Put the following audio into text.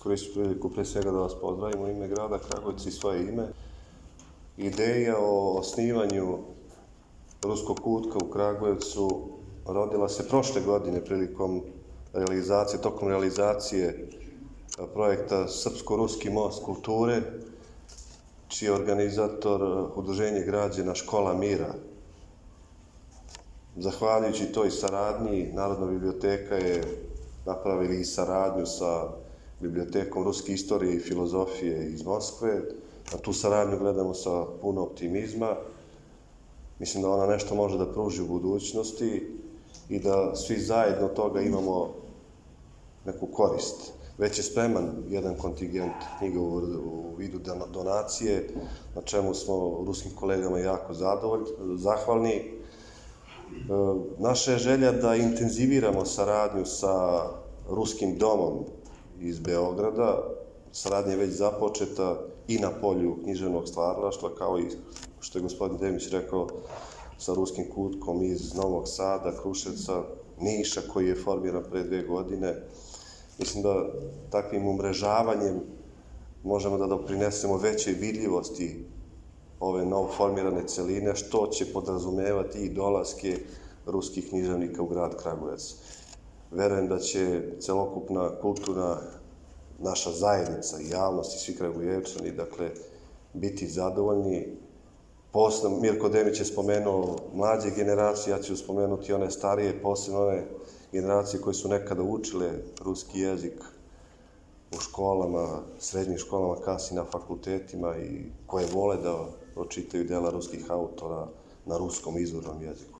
iskoristiti priliku pre svega da vas pozdravim u ime grada Kragujevca i svoje ime. Ideja o osnivanju Ruskog kutka u Kragujevcu rodila se prošle godine tokom realizacije projekta Srpsko-ruski most kulture, čiji je organizator Udruženje građana Škola mira. Zahvaljujući toj saradnji, Narodna biblioteka je napravila i saradnju sa Bibliotekom ruske istorije i filozofije iz Moskve. Na tu saradnju gledamo sa puno optimizma. Mislim da ona nešto može da pruži u budućnosti i da svi zajedno od toga imamo neku korist. Već je spreman jedan kontingent knjiga u vidu donacije, na čemu smo ruskim kolegama jako zahvalni. Naša je želja da intenziviramo saradnju sa Ruskim domom iz Beograda. Saradnja je već započeta i na polju književnog stvaralaštva, kao i što je gospodin Demić rekao, sa Ruskim kutkom iz Novog Sada, Kruševca, Niša, koji je formiran pre 2 godine. Mislim da takvim umrežavanjem možemo da doprinesemo većoj vidljivosti ove novoformirane celine, što će podrazumevati i dolaske ruskih književnika u grad Kragujevac. Verujem da će celokupna kulturna naša zajednica i javnost i svi Kragujevčani, biti zadovoljni. Posebno, Mirko Demić je spomenuo mlađe generacije, ja ću spomenuti one starije, posebno one generacije koje su nekada učile ruski jezik u školama, srednjim školama, kasnije na fakultetima i koje vole da pročitaju dela ruskih autora na ruskom izvornom jeziku.